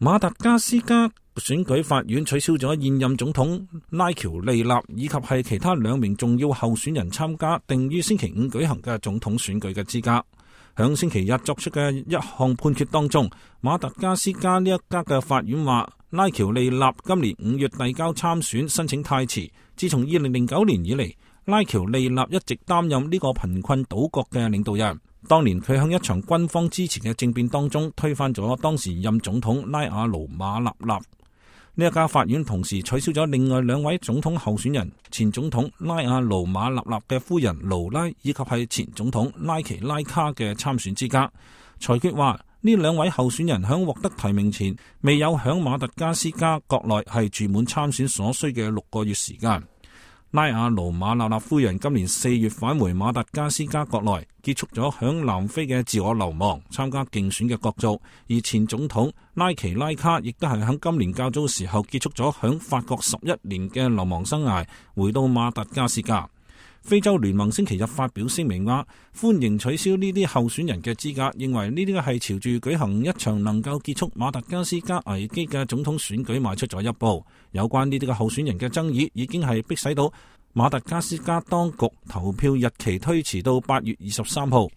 馬達加斯加選舉法院取消咗現任總統拉喬利納以及係其他2名重要候選人參加定於星期5舉行嘅總統選舉嘅資格。響星期日作出嘅一項判決當中，馬達加斯加呢一家嘅法院話，拉喬利納今年5月遞交參選申請太遲。自從2009年以嚟，拉喬利納一直擔任呢個貧困島國嘅領導人。當年佢喺一場軍方支持嘅政變當中推翻咗當時任總統拉阿盧馬納納。呢一家法院同時取消咗另外2位總統候選人，前總統拉阿盧馬納納嘅夫人盧拉以及係前總統拉奇拉卡嘅參選資格。裁決話呢2位候選人喺獲得提名前未有響馬達加斯加國內係住滿參選所需嘅6個月時間。拉阿盧馬納納夫人今年4月返回馬達加斯加國內，結束咗響南非嘅自我流亡，參加競選嘅角逐。而前總統拉奇拉卡亦都係響今年較早時候結束咗響法國11年嘅流亡生涯，回到馬達加斯加。非洲聯盟星期日發表聲明話，歡迎取消呢啲候選人嘅資格，認為呢啲係朝住舉行一場能夠結束馬達加斯加危機嘅總統選舉邁出咗一步。有關呢啲嘅候選人嘅爭議已經係迫使到馬達加斯加當局投票日期推遲到8月23號。